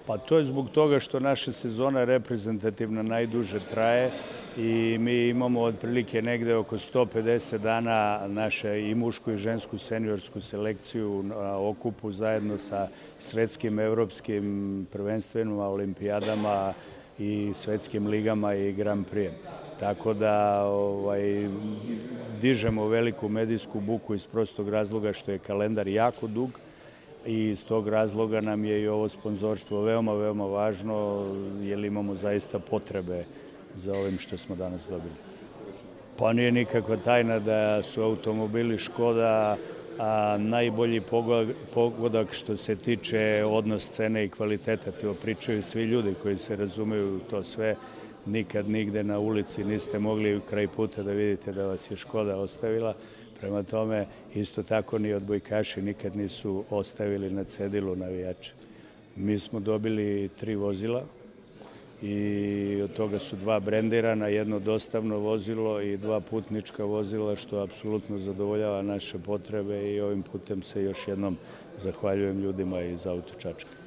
Pa to je zbog toga što naša sezona reprezentativna najduže traje i mi imamo otprilike negde oko 150 dana naše i mušku i žensku seniorsku selekciju na okupu zajedno sa svetskim, evropskim prvenstvima, olimpijadama i svetskim ligama i Grand Prix. Tako da dižemo veliku medijsku buku iz prostog razloga što je kalendar jako dug i iz tog razloga nam je i ovo sponzorstvo veoma, veoma važno jer imamo zaista potrebe za ovim što smo danas dobili. Pa nije nikakva tajna da su automobili Škoda najbolji pogodak što se tiče odnos cene i kvaliteta. To pričaju svi ljudi koji se razumeju to sve. Nikad nigde na ulici niste mogli kraj puta da vidite da vas je Škoda ostavila. Prema tome, isto tako ni odbojkaši nikad nisu ostavili na cedilu navijače. Mi smo dobili 3 vozila i od toga su 2 brendirana, 1 dostavno vozilo i 2 putnička vozila, što apsolutno zadovoljava naše potrebe i ovim putem se još jednom zahvaljujem ljudima iz Auto Čačka.